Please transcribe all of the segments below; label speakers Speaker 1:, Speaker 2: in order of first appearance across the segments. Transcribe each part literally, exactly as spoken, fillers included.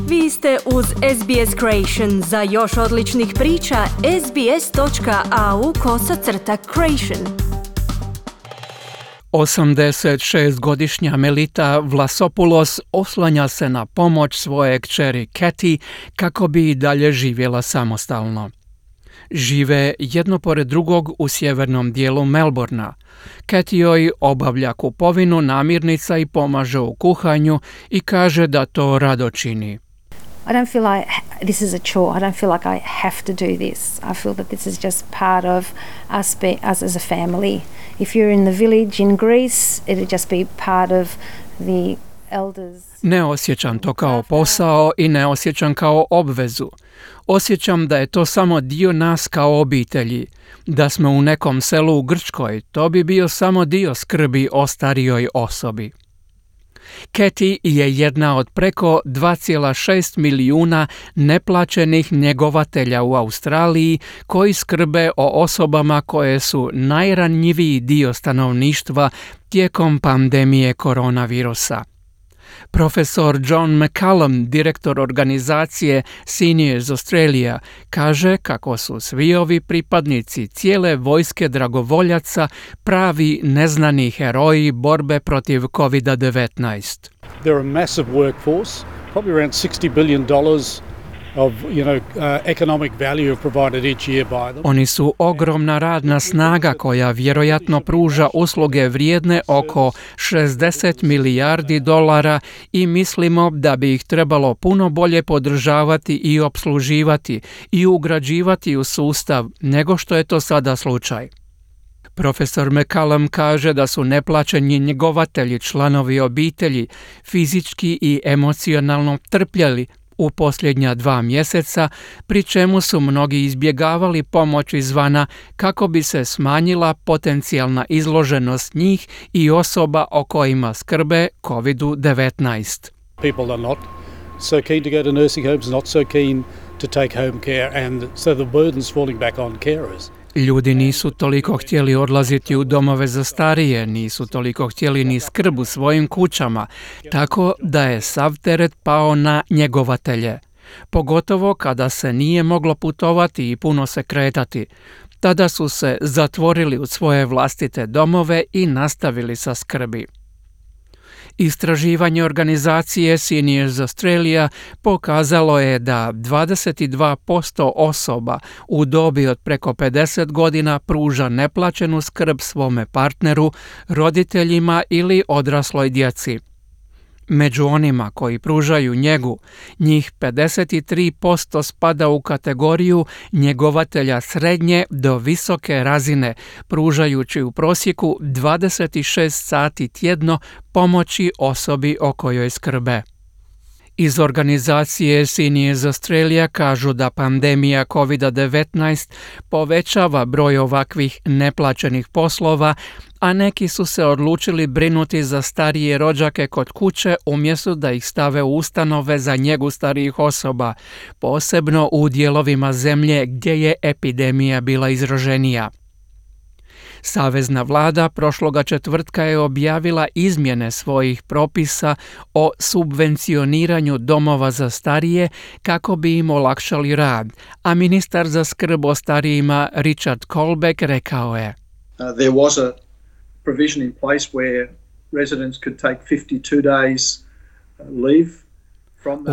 Speaker 1: Vi ste uz S B S Creation. Za još odličnih priča, sbs.au kosacrta creation.
Speaker 2: osamdesetšestgodišnja Melita Vlasopoulos oslanja se na pomoć svoje kćeri Katie kako bi i dalje živjela samostalno. Žive jedno pored drugog u sjevernom dijelu Melbourna. Katie joj obavlja kupovinu namirnica i pomaže u kuhanju i kaže da to rado čini.
Speaker 3: I don't feel like this is a chore. I don't feel like I have to do this. I feel that this is just part of us, be, us as a family. If you're in the village in Greece, it'd just be part of the elders.
Speaker 2: Ne osjećam to kao posao i ne osjećam kao obvezu. Osjećam da je to samo dio nas kao obitelji. Da smo u nekom selu u Grčkoj, to bi bio samo dio skrbi o starijoj osobi. Katie je jedna od preko dva zarez šest milijuna neplaćenih njegovatelja u Australiji koji skrbe o osobama koje su najranjiviji dio stanovništva tijekom pandemije koronavirusa. Profesor John McCallum, direktor organizacije Seniors Australia, kaže kako su svi ovi pripadnici cijele vojske dragovoljaca pravi neznani heroji borbe protiv covid devetnaest.
Speaker 4: They're a massive workforce, probably around sixty billion dollars of, you know, uh, economic value provided each year by them.
Speaker 2: Oni su ogromna radna snaga koja vjerojatno pruža usluge vrijedne oko šezdeset milijardi dolara i mislimo da bi ih trebalo puno bolje podržavati i opsluživati i ugrađivati u sustav nego što je to sada slučaj. Profesor McCallum kaže da su neplaćeni njegovatelji članovi obitelji fizički i emocionalno trpjeli u posljednja dva mjeseca, pri čemu su mnogi izbjegavali pomoć izvana kako bi se smanjila potencijalna izloženost njih i osoba o kojima skrbe covid devetnaest.
Speaker 4: People are not so keen to go to nursing homes, not so keen to take home care, and so the burden's falling back on carers.
Speaker 2: Ljudi nisu toliko htjeli odlaziti u domove za starije, nisu toliko htjeli ni skrb u svojim kućama, tako da je sav teret pao na njegovatelje. Pogotovo kada se nije moglo putovati i puno se kretati. Tada su se zatvorili u svoje vlastite domove i nastavili sa skrbi. Istraživanje organizacije Seniors Australia pokazalo je da dvadeset dva posto osoba u dobi od preko pedeset godina pruža neplaćenu skrb svome partneru, roditeljima ili odrasloj djeci. Među onima koji pružaju njegu, njih pedeset tri posto spada u kategoriju njegovatelja srednje do visoke razine, pružajući u prosjeku dvadeset šest sati tjedno pomoći osobi o kojoj skrbe. Iz organizacije Seniors Australia kažu da pandemija covid devetnaest povećava broj ovakvih neplaćenih poslova, a neki su se odlučili brinuti za starije rođake kod kuće umjesto da ih stave u ustanove za njegu starijih osoba, posebno u dijelovima zemlje gdje je epidemija bila izraženija. Savezna vlada prošloga četvrtka je objavila izmjene svojih propisa o subvencioniranju domova za starije kako bi im olakšali rad, a ministar za skrb o starijima Richard Colbeck rekao je:
Speaker 5: Uh, there was a provision in place where residents could take fifty-two days leave.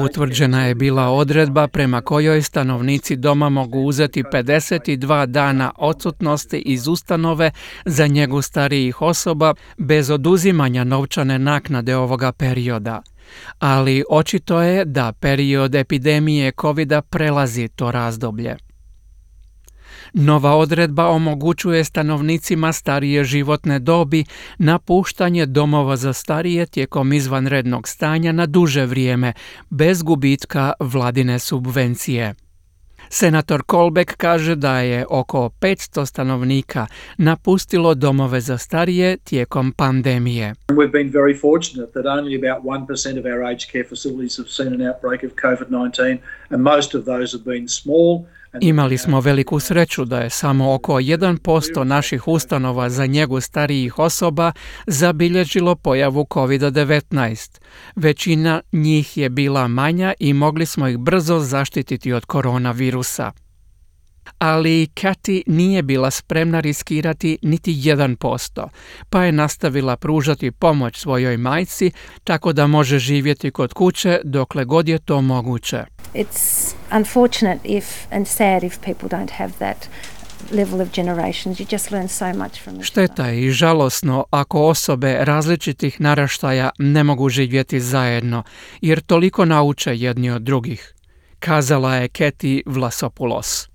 Speaker 2: Utvrđena je bila odredba prema kojoj stanovnici doma mogu uzeti pedeset dva dana odsutnosti iz ustanove za njegu starijih osoba bez oduzimanja novčane naknade ovoga perioda. Ali očito je da period epidemije covida prelazi to razdoblje. Nova odredba omogućuje stanovnicima starije životne dobi napuštanje domova za starije tijekom izvanrednog stanja na duže vrijeme, bez gubitka vladine subvencije. Senator Colbeck kaže da je oko petsto stanovnika napustilo domove za starije tijekom pandemije.
Speaker 5: We've been very fortunate that only about one percent of our aged care facilities have seen an outbreak of covid nineteen, and most of those have been small
Speaker 2: Imali smo veliku sreću da je samo oko jedan posto naših ustanova za njegu starijih osoba zabilježilo pojavu kovid devetnaest. Većina njih je bila manja i mogli smo ih brzo zaštititi od koronavirusa. Ali Kathy nije bila spremna riskirati niti jedan posto, pa je nastavila pružati pomoć svojoj majci tako da može živjeti kod kuće dokle god je to moguće.
Speaker 3: It's unfortunate if and sad if people don't have that level of generations. You just learn so much from it.
Speaker 2: Šteta je i žalosno ako osobe različitih naraštaja ne mogu živjeti zajedno, jer toliko nauče jedni od drugih, kazala je Kathy Vlasopoulos.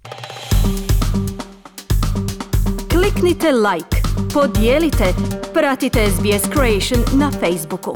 Speaker 1: Kliknite like, podijelite, pratite S B S Creation na Facebooku.